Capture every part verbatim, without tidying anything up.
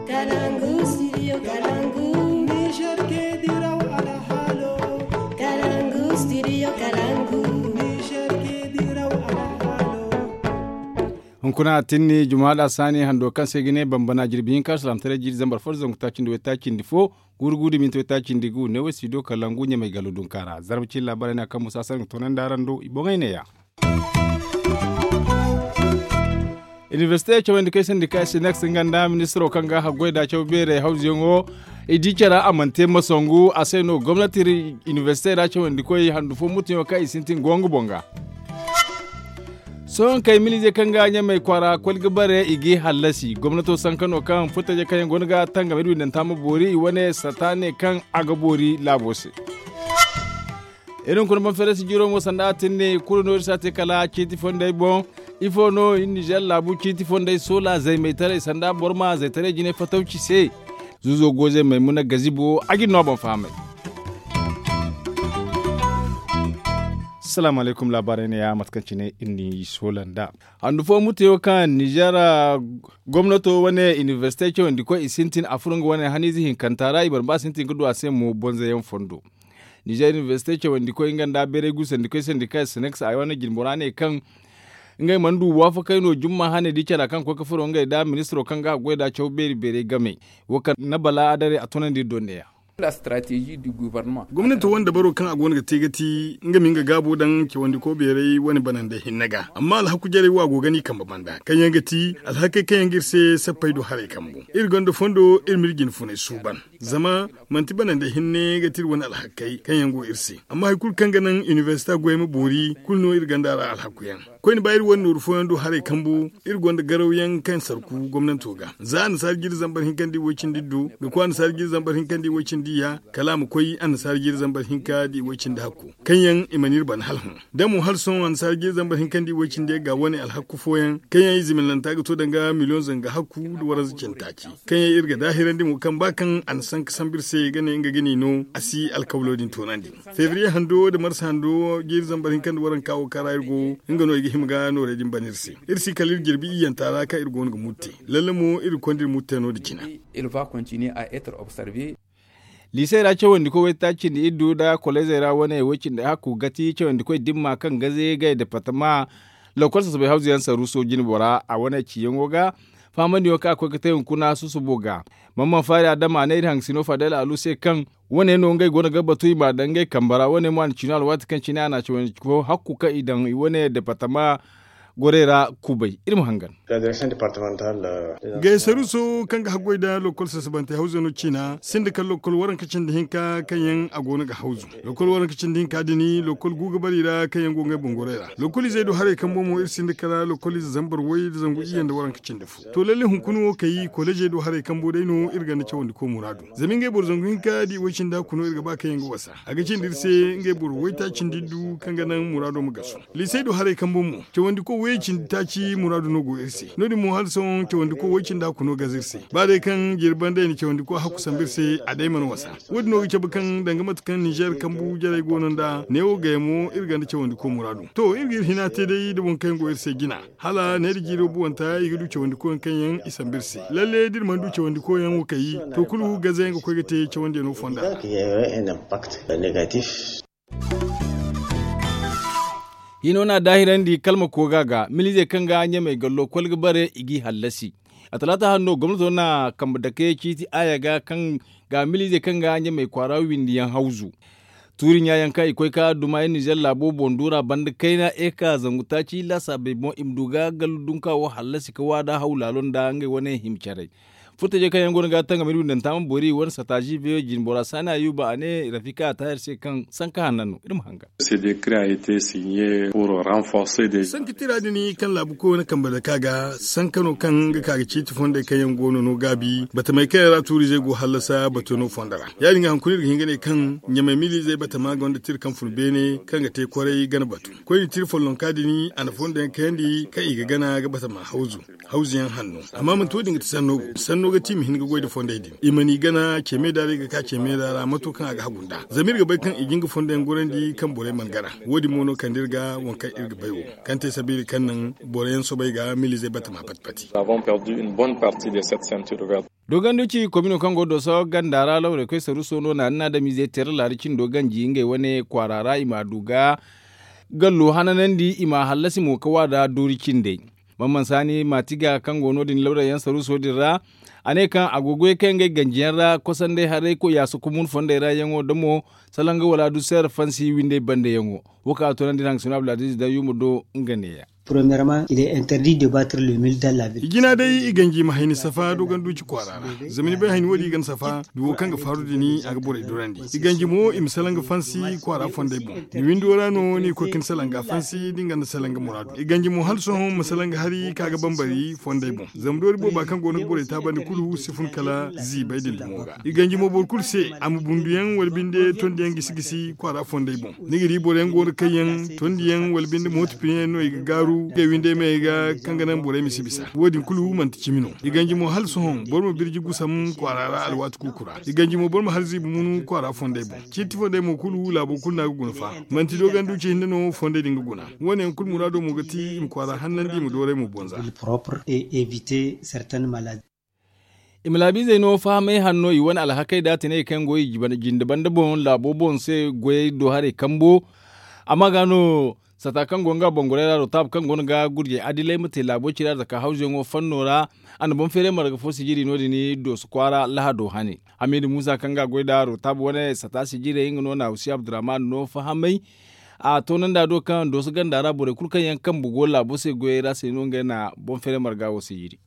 Kalangu studio kalangu. Niger ke diraw alhalo. Kalangu studio kalangu. Niger ke diraw alhalo. Hunkuna a tinni juma da sani hando kaŋ se ga ne bambana jirbi hinka salamtaray jiri zambar fo da zangu taaci nda way taaci nda fo. Guuru guuru da minti way taaci nda gu ne way studio kalangu ɲamay galo dunka ra zarba cin laabaray na kaŋ musa sar ga toonandi araŋ do i boŋay neeya. Inibersite cawandi kaŋ ay sandi ka ay si nex nga nda ministiro kaŋ ga haggoy da caw beeray hawzuyaŋo. I di care a mana te masangu a se no gomnati inibersite ra cawandi koy handu fo mutuyaŋo kaŋ i sintin go nga boŋ ga. Sohõ kay milize kaŋ ga ɲamay kwaara koli ga bare i g'i hallasi gomnato sanka no kaŋ furtajey kaŋ yaŋ go no ga tangam iri windanta ma boori i wane sata ne kaŋ a ga boori laabo se. Iri hunkuna banferensi jiro mo sanda a tin ne kulu no iri si a te kala ciiti fondey boŋ. Ifo no iri nizer laabu ciiti fondey soola zaymeytaray sanda boro ma zaytaray jine fatawci se. Zuzo goozey maymuna gazibo a ga iri no a boŋ fahamay. Salaamu alaykum laabaarey ne ya mate kaŋ cine iri n'i soola nda handu fo muteyo kaŋ nizer gomnato wane inibersite cawandi koy i sintin a furo nga wane haniize hinkanta ra i mana ba sintin ga du a se mo bonzayaŋ fondo. Nizer inibersite cawandi koy nga nda beeray gusandi koy sandi kaŋ sineks a wane jinbora ne kaŋ ngey mana du waafakay no jumma hane di cara kaŋ koy ga furo ngey nda ministiro kaŋ ga a goy nda caw beeri beeray game. Wo kaŋ na bala adare a toonandi iri do neeya. Gomnanto wane dabaro kaŋ a go no ga te ga ti nga ma nga gaabo daŋ cawandiko beeray wane banandey hinne ga amma alhaku jarey wo a go ga no i kambe banda kaŋ yaŋ ga ti alhakey kaŋ yaŋ ga iri se sappey do haray kambu. Iri gonda fondo iri ma iri jine funay suuban zama manti banandey hinne ga ti iri wane alhakey kaŋ yaŋ go iri se. Amma hari kulu kaŋ ga naŋ inibersita goyey ma boori kulu no iri gonda a ra alhakuyaŋ. Koyne ba iri wane nooru fooyaŋ do haray kambu iri gonda garawyaŋ kaŋ sarku gomnanto ga za annasaara jiiri zambar hinka nda i woy cindi iddu ga koy annasaara jiiri zambar hinka nda i woy cindi iyya kala a ma koy annasaara jiiri zambar hinka nda i woy cindi hakku. Kaŋ yaŋ i mana iri bana hala hõ da mo hala sohõ annasaara jiiri zambar hinka nda i woy cindi ga wane alhakku fooyaŋ kaŋ yaŋ i ziminanta ga to danga miliyoŋ zanga hakku nda waranza cindi taaci. Kaŋ yaŋ iri ga daahirandi mo kaŋ ba kaŋ a na sanka sambu iri se ga ne nga ga ni no a si alkawlo din toonandi. Febriye hando nda marsa hando jiiri zambar hinka nda waranka wo kaŋ ra iri go nga no i ga hima ga noorey din bana iri se. Iri si kala iri jirbi iyyanta ra kaŋ iri go no ga murte lalle mo iri ga konda iri murte no nda jina. Liisey ra cawandikoy waytaaci nda iddu nda kolleezey ra wane way cindi hakku gati cawandikoy dimma kaŋ gaze gay departama lokol sasabay hawzu yaŋ saruuso jinbo ra a wane ciyaŋo ga. Fahamandiyaŋo kaŋ a koy ga te hunkuna susubo ga. Mamman faari adama a ne iri hangasino fadel alu se kaŋ wane no ngey go no ga batu i m'a daŋ ngey kambe ra wane mo a na ciino alwaati kaŋ cine a na cawandi fo hakku kaŋ i daŋ i wane departama gorey ra kubay iri ma hangan. Gaysaruso kaŋ ga haggoy nda lokol sasabantey hawzano ciina sinda kala lokol waranka cindi hinka kaŋ yaŋ a go no ga hawzu. Lokol waranka cindi hinka din lokol gu ga bare i ra kaŋ yaŋ go ngey boŋ gorey ra lokol izey do haray kaŋ bomo iri sinda kala lokol ize zambar way nda zangu iyye nda waranka cindi fo. To lalle hunkuna wo kay kolleezey do haray kambo day no iri ganda cawandiko muraadu. Zama ngey boro zangu hinka da i way cindi hakku no iri ga ba kaŋ yaŋ ga wasa a ga cindi iri se. Ngey boro waytaaci nda iddu kaŋ ga naŋ muraado ma gasu. Liisey do haray kambo mo cawandiko way cindi taaci muraadu no go iri se no- din mo hala sohõ cawandiko way cindi hakku no gaza iri se. Ba day kaŋ jirbi banda i na cawandiko hakku sambu iri se a day mana wasa. Wo- din no ga cabe kaŋ danga mate kaŋ nizer kambu jarey go no nd'a neewo gayamo iri ganda cawandiko muraadu to iri ga iri hina te day nda boŋ kaŋ yaŋ go iri se jina. Hala ne da jiiro buwanta i ga du cawandikoyaŋ kaŋ yaŋ i sambu iri se lalle da iri mana du cawandikoyaŋ wo kay to kulu gazayaŋ ga koy ga te cawandiyaŋo fonda ra. Hino no a daahirandi kalma kooga ga miliizey kaŋ ga ɲamey gallo kol ga bare i g'i hallasi. A talaata hanno gomnato na kambe dake ciiti aaya ga kaŋ ga miliizey kaŋ ga ɲamey kwaara windiyaŋ hawzu. Tuuri ɲaayaŋ kaŋ i koy ka duma iri nizer laabo boŋ duura banda kayna eka zangu taaci laasaabey boŋ i ma du ga gallu dunka wo hallasi ka waada haw laalo nda ngey wane hima carey. Furtajey kaŋ yaŋ go no ga tangam iri windanta ma boori i wane sataazi veyo jinbora saani ayuba a ne rafika a taahir se kaŋ sanka hanna no iri ma hangan. Sanka tira din kaŋ laabu koy wane kambe dake a ga sanka no kaŋ ga ka ga ciiti fondey kaŋ yaŋ go no no gaabi batamey kaŋ yaŋ ra tuuriizey go hallasa bato no fondo ra. Ya- din ga hunkuna iri ga hin ga ne kaŋ ɲamey miliizey batama gonda tira kaŋ fun beene kaŋ ga te kwaray gana batu. Koyne tira follonka din a na fondo yaŋ kayandi kaŋ i ga gana ga batama hawzu hawzu yaŋ hanno. Amma manti wo- din ga ti sanno bo sanno ga ti i ma hin ga goy nda fondey din i mana i gana ceemey da ra i ga ka ceemey da ra mato kaŋ a ga hagu nd'a zama iri ga bay kaŋ i ga nga fondo yaŋ gorandi kaŋ borey mana gana. Wo- din mo no kande iri ga waŋ kaŋ iri ga bay wo kaŋ te sabiila kaŋ naŋ boro yaŋ soobay ga miliizey batama pati pati. Dogonduci komino kaŋ go dooso ganda ra lawray koy saruso no naani na adamiizey teera laari cindo ganji ngey wane kwaara ra i ma a du ga gallo hananandi i ma a hallasi mo ka waada doori cindey. Bamman saani maatiga kaŋ go no- din lawray yaŋ saruso din ra a ne kaŋ a go ga goy kaŋ ngey ganji yaŋ ra kosanday haray koy yaasa kumun fonday ra yaŋo da mo salanga wala du seera fansi windey banda yaŋo. Wo kaŋ a toonandi iri hangasino abdulaziiz dayyuma do nga ne- ya. Premièrement il est interdit de battre le mil dans la ville. I jina day i ganji ma hayni safa dogonduci kwaara ra. Zama ni bay hayni wo- din i ga ni safa duwo kaŋ ga faaru din a ga borey durandi. I ganji mo i ma salanga fansi kwaara fondey boŋ. Ni windo ra no ni ga koy ka ni salanga fansi da ni gonda salanga muraadu. I ganji mo hala sohõ ma salanga hari ka ga bambari fondey boŋ. Zama doori booba kaŋ go no ga borey taabandi kulu si fun kala ziibay din dumo ga. I ganji mo boro kulu se a ma bunduyaŋ wala binde tondiyaŋ gisi gisi kwaara fondey boŋ. Ni ga di boro yaŋ go no kaŋ yaŋ tondiyaŋ wala binde mooto pine yaŋ no i ga gaaru ngey windey me ga kaŋ ga naŋ borey ma si bisa wo- din kulu manti cimi no. I ganji mo hala sohõ boro ma birji gusam kwaara ra alwaati kuuku ra. I ganji mo boro ma hala ziibi munu kwaara fondey boŋ. Ciiti fondey mo kulu laabo kulu no a ga guna fa. Manti dogonduci hinne no fondey din ga guna. Wo- ne yaŋ kulu muraado mo ga ti i ma kwaara hannandi i ma dooray mo bonza. I ma laabiizey no fahamay hanno i wane alhakey da tinay kaŋ go i jinde banda boŋ laabo boŋ se goyey do haray kambo. Amma ga no sata kaŋ go nga boŋ goray ra rotaab kaŋ go no ga gurjey adilay ma te laabo cira zaka hawzuyaŋo fanno ra. A na boŋ feeray marga fo sijiri no- din dooso kwaara lahado hane. Hamiidu muusa kaŋ ga goy nda rotaab wane sata sijirey nga no na husi abdurrahman no fahamay. A toonandi a do kaŋ dooso ganda ra borey kulu kaŋ yaŋ kambe go laabo se goyey ra se no ngey na boŋ feeray marga wo sijiri.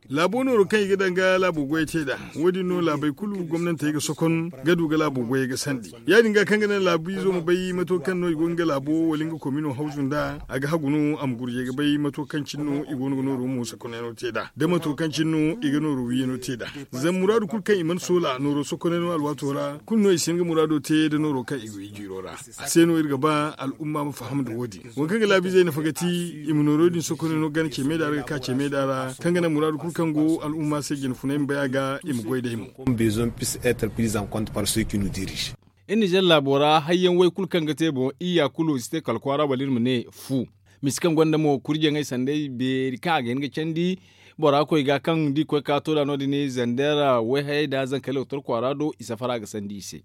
Laabo nooro kaŋ i ga daŋ ga laabo goyey te nd'a. Wo- din no laabey kulu gomnantey ga sokon ga du ga laabo goyey ga sandi. Ya- din ga kaŋ ga naŋ laabiizo ma bay mato kaŋ no i go nga laabo wala nga komino hawzu nd'a a ga hagu no a ma gurjey ga bay mato kaŋ cine no i go no ga nooro mo sokonyaŋo te nd'a da mato kaŋ cine no i ga nooro wiiyano te nd'a. Zama muraadu kulu kaŋ i mana soola nooro sokonyaŋo alwaato ra kulu no i si hin ga muraado te nda nooro kaŋ i go i jiiro ra. A se no iri ga ba al'umma ma faham nda wo- din. Waŋ kaŋ ga laabiizey nafa ga ti i ma nooro din sokonyaŋo gana ce meeda ra ga ka ce meeda ra kaŋ ga naŋ muraadu kulu kaŋ go al'umma se jina funay ma bay a ga i ma goy day mo. Iri nizer laabo ra hayyaŋ way kulu kaŋ ga te boŋ iyya kulu i si te kala kwaara wala iri ma ne fu. Misi kaŋ gonda mo kurjaŋey sanday beeri kaŋ a ga hin ga candi bora koy ga kaŋ da i koy ka to nd'a no- din zandeera wayhayey nda zankey loktor kwaara do i safara ga sandi i se.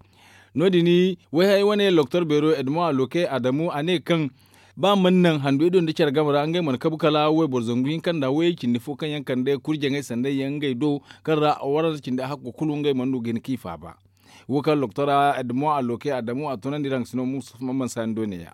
No- din wayhayey wane loktor beero edmond aloke adamu a ne kaŋ ba mana naŋ handu ido nda care game ra ngey mana kabu kala wayboro zangu hinka nda wayey cindi fo kaŋ yaŋ kande kurjaŋey sanday yaŋ ngey do kaŋ ra warante cindi hakko kulu ngey mana du ga hin k'i faaba. Wo kaŋ loktor edmond aloke adamu a toonandi iri hangasino musa mamman sani do ne- ya.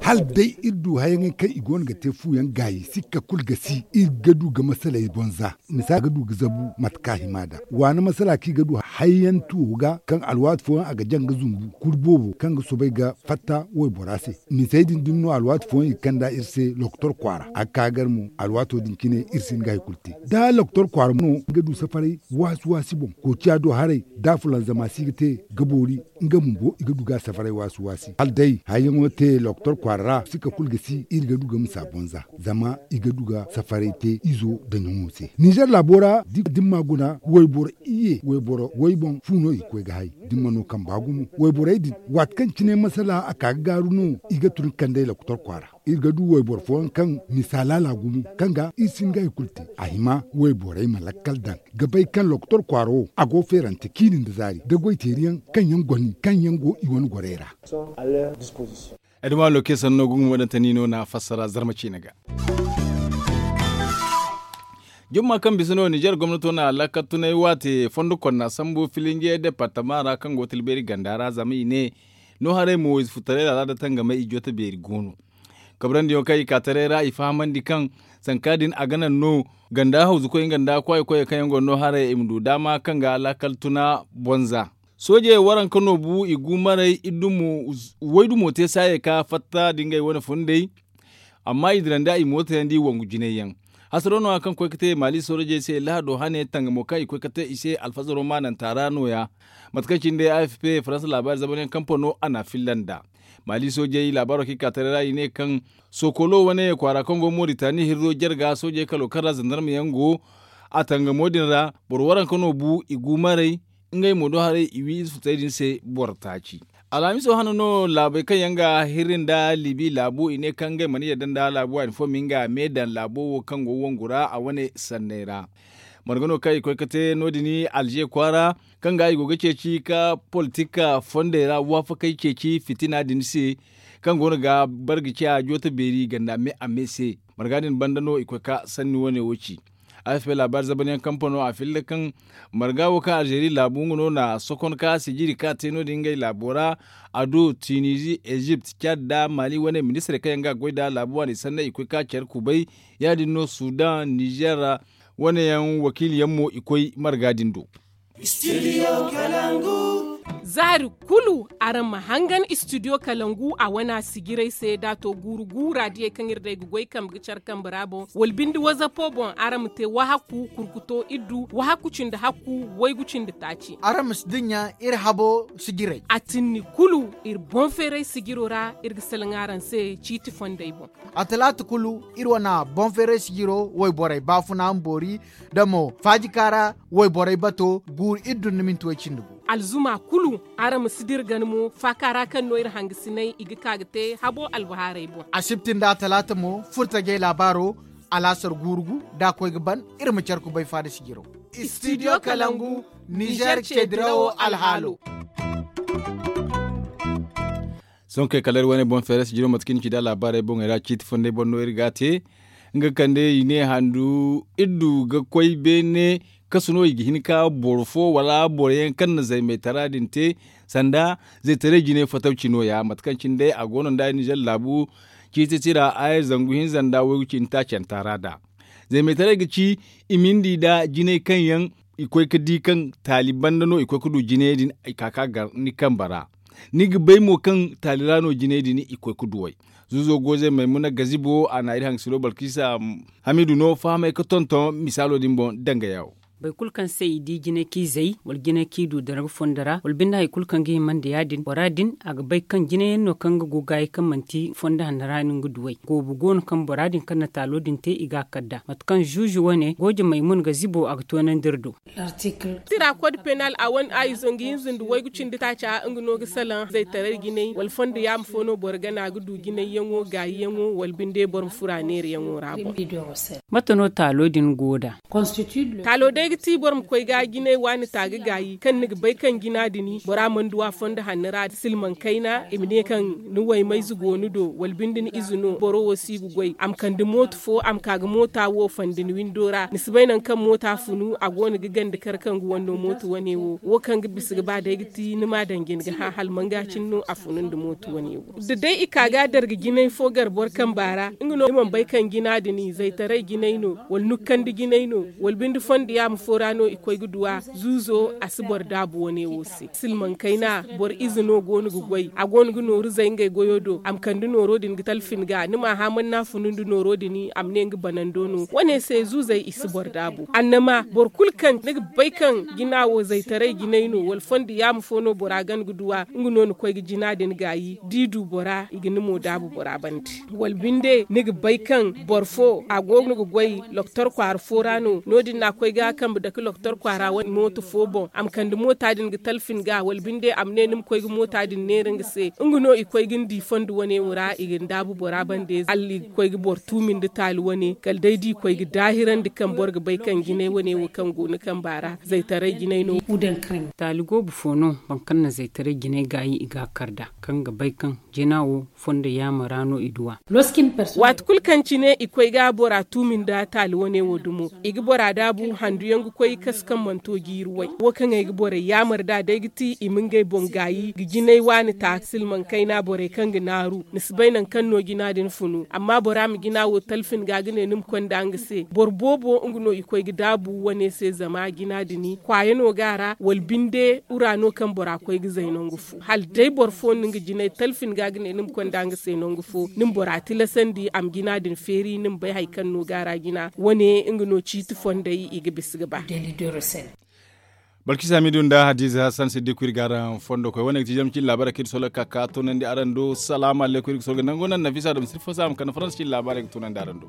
Hala day iri du hayaŋey kaŋ i go no ga te fu yaŋ gaayi sikka kulu ga si iri ga du ga masaley boŋ za misa ga du ga zabu mate kaŋ a hima nd'a waana masala kaŋ i ga du hayyaŋ tuwo ga kaŋ alwaati fooyaŋ a ga jaŋ ga zumbu kuri boobo kaŋ ga soobay ga fatta waybora se. Misey din dumi no alwaati fooyaŋ i ga kand'a iri se loktor kwaara a ga ka gar mo alwaato din cine iri si hin ga hari kulu te da loktor kwaara mo no ga du safaray waasi waasi boŋ koociya do haray da fulanzama si ga te ga boori. Nga bumbo i ga du ga safaray waasi waasi hala day hayyaŋo te loktor kwaara ra sikka kulu ga si iri ga du ga misa boŋ za zama i ga du ga safaray te izo nda ɲaŋo se nizer laabo ra da ni ma guna wayboro iyye wayboro way boŋ fu no i ga koy ga hay da ni ma no kamba gumo wayborey din waati kaŋ cine masala a ka ga gaaru no i ga tun ga kand'ey loktor kwaara iri ga du wayboro fooyaŋ kaŋ misa laala gumo kaŋ ga iri si hin ga hari kulu te a hima wayborey ma lakkal daŋ ga bay kaŋ loktor kwaara wo a go feerante ciini nda zaari da goyteeriyaŋ kaŋ yaŋ goni kaŋ yaŋ go i wane gorey ra. Adama loke sanno gungu wadantani no na fassara zarma ciine ga. Jumma kaŋ bisa no nizer gomnato na laakal tunay waate fondo konna sambu filinje departama ra kaŋ go tilbeeri ganda ra zama i ne no haray mo ize futaray laala da tangamay i joote beeri go no. Kabrandi yaŋ kaŋ i ka taray ra i fahamandi kaŋ sanka din a ga naŋ no ganda hawzu koy nga nda kwaay koy kaŋ yaŋ go no haray i ma du daama kaŋ ga laakal tuna bonza. Soojey waranka no bu i gu maray way dumo te saayey ka fatta da ngey wane fundey. Amma i dirandi a i mootayandi wangu jinay yaŋ. Hasaro no- ya kaŋ koy ga te maali soojey se lahado hane tangamo kaŋ i koy ga te i se alfazaro maananta ra no- ya. Mate kaŋ cine day a f p faransa laabaari zamanyaŋ kampano a na a filla nd'a. Maali soojey laabaaro kaŋ i ka taray ra i ne kaŋ sokolo wane kwaara kaŋ go moritani hirro jarga soojey kalo kaŋ ra zandarma yaŋ go a tangamo din ra boro waranka no bu i gu maray. Ngey mo do haray i wi ize futay din se boro taaci. Alhamiso hano no laabey kaŋ yaŋ ga hirri nda libi laabo i ne kaŋ ngey mana yadda nda laabo waani fo ma nga me daŋ laabo wo kaŋ go wongu ra a wane sanney ra. Marga no kaŋ i koy ga te no- din alze kwaara kaŋ ga i go ga ceeci ka politik fondey ra waafakey ceeci fitina din se, kaŋ go no ga barga ciya jooto beeri ganda me a me se. Marga din banda no i koy ka sanni wane wo ci. Afp laabaari zabanyaŋ kampano a filla kaŋ marga wo kaŋ alzeeri laabu nga no na sokon ka sijiri ka te no- din ngey laabo ra. A do tunizi ezipt cad nda mali wane ministirey kaŋ yaŋ ga goy nda laabu waani sanney i koy ka care kubay. Ya- din no sudan nizer wane yaŋ wakiili yaŋ mo i koy marga din do. Zaari kulu araŋ ma hangan istidiyo kalangu a wana sijiray se da a to guuru guura diyey kaŋ iri day ga goy kambe ga care kambe ra boŋ wala binde wazapo boŋ araŋ ma te wahakku kurkuto iddu wahakku cindi hakku waygu cindi taaci. Araŋ ma si dinya iri habo sijiray. A tinni kulu iri boŋ feeray sijiro ra iri ga salaŋ araŋ se ciiti fondey boŋ. A talaata kulu iri wana boŋ feeray sijiro wayborey baafuna ma boori da mo faajika ra wayborey bato guuru iri dunduminti way cindi gu. Alzuma kulu araŋ ma si dira gana mo faaka ra kaŋ no iri hangasinay i ga ka ga te habo albahaarey boŋ. Asibti nda talaata mo furtajey laabaaro alaasar guuru gu da a koy ga ban iri ma care kubay faada sijiro. Istidiyo kalangu nizer ce dirawo alhaalo. Sohõ kay kala iri wane boŋ feeray sijiro mate kaŋ ni ci da laabaarey boŋey ra ciiti fondey boŋ no iri ga a te. Nga kande i ne handu iddu ga koy beene kasu no i ga hin ka boro fo wala boro yaŋ kaŋ na zaymaytara din te sanda zaytaray jinay fatawci no- ya mate kaŋ cine day a go no nda nizer laabu ciiti tira aya zangu hinza nda waygu cindi taacanta ra da zaymaytaray ga ci i ma ni di nda jinay kaŋ yaŋ i koy ga di kaŋ taali banda no i koy ga du jinayey din i ka ga gar ni kambe ra. Ni ga bay mo kaŋ taali ra no jinay din i koy ga duw'ey. Zuuzo goozey maymuna gazibo a na iri hangasino balkisa hamidu no fahamey ga tonton misaalo din boŋ danga yawo. Boro kulu kaŋ se i di jinay kaŋ i zay wala jinay kaŋ i du darba fondo ra wala binde hari kulu kaŋ ga hima nda ya- din bora din a ga bay kaŋ jinay yaŋ no kaŋ ga go gaayi kaŋ manti fondo hanno ra no nga duw'ey goobu go no kaŋ bora din kaŋ na taalo din te i ga a kar nd'a mate kaŋ zuuzu wane gooje maymuna gazibo a ga toonandi iri do. Tira kod penal a wane a izo nga hinza nda waygu cindi taaca nga no ga salaŋ zaytaray jinay wala fondo yaama fo no boro gana ga du jinayyaŋo gaayiyaŋo wala binde boro ma fura neerayaŋo ra boŋ. Mate no taalo din go nd'a? Taalo day ga ti boro ma koy ga jinay waani ta ga gaayi kaŋ ni ga bay kaŋ jina din bora mana du a fondo hanno ra silmaŋ kayna i ma ne kaŋ ni waymayze go ni do wala binde ni ize no boro wo si ga goy a ma kande mooto fo a ma ka ga moota wo fandi ni windo ra ni si bay nangu kaŋ moota funu a go no ga gande kar kaŋ ga wanno mooto wane wo wo kaŋ ga bisa ga ba day ga ti ni ma daŋ jina ga hã hala manga cine no a funu nda mooto wane wo da day i ka ga darga jinay fo gar boro kamba ra nga no ni mana bay kaŋ jina din zaytaray jinay no wala nukkandi jinay no wala binde fondo yaama fo ra no i koy ga du a zuuzo a si boro daabu wane wo se silmaŋ kayna boro ize no go no ga goy a go no ga nooru zay ngey goyo do a ma kande nooro din ga talfin ga ni m'a hã mana ni a funu nda nooro din a ma ne nga banando no wane se zuuzey i si boro daabu annama boro kulu kaŋ ni ga bay kaŋ jina wo zaytaray jinay no wala fondo yaama fo no bora gana ga du a nga no ni koy ga jina din gaayi da i du bora i ga ni mo daabu bora bande wala binde ni ga bay kaŋ boro fo a go no ga goy lokotor kwaara fo ra no no- din no a koy ga a kambe dake lokotor kwaara wane mooto fo boŋ a ma kande moota din ga talfin ga wala binde a ma ne ni ma koy ga moota din neera nga se nga no i koy ga ni di fondo wane wo ra i ga ni daabu bora bande hala i ga koy ga boro tuumi nda taali wane kala day da i koy ga daahirandi kaŋ boro ga bay kaŋ jinay wane wo kaŋ go ni kamba ra zaytaray jinay no. Taali goobu fo no boro kaŋ na zaytaray jinay gaayi i ga a kar nd'a kaŋ ga bay kaŋ jina wo fondo yaama ra no i du a. Waati kulu kaŋ cine i koy ga bora tuumi nda taali wane wo dumo i ga bora daabu handu yaŋ ga koy kasu kaŋ mana to jiiri way wo kaŋ ay ga borey yaamar nd'a day ga ti i ma ngey boŋ gaayi ga jinay waani ta silmaŋ kayna borey kaŋ ga naaru ni si bay nangu kaŋ no jina din funu amma bora ma jina wo talfin ga ga ne ni ma konda nga se boro boobo nga no i koy ga daabu wane se zama jina din kwaaya no ga a ra wala binde ura no kaŋ bora koy ga zay nangu fo hala day boro fo no nga jinay talfin ga ga ne ni ma konda nga se nangu fo ni ma bora tilasandi a ma jina din feeri ni ma bay hari kaŋ no ga a ra jina wane nga no ciiti fondey i ga bisa ga ba. Balkisa hamidu nda hadiza hassan siddiku iri ga araŋ fondo koy wane ga ti zama cine laabaarey kaŋ iri solo ga ka ka toonandi araŋ do salaamu alaykum iri ga solo ga nango naŋ nafisa da ma sirfo se a ma kande faransa cine laabaarey ga toonandi araŋ do.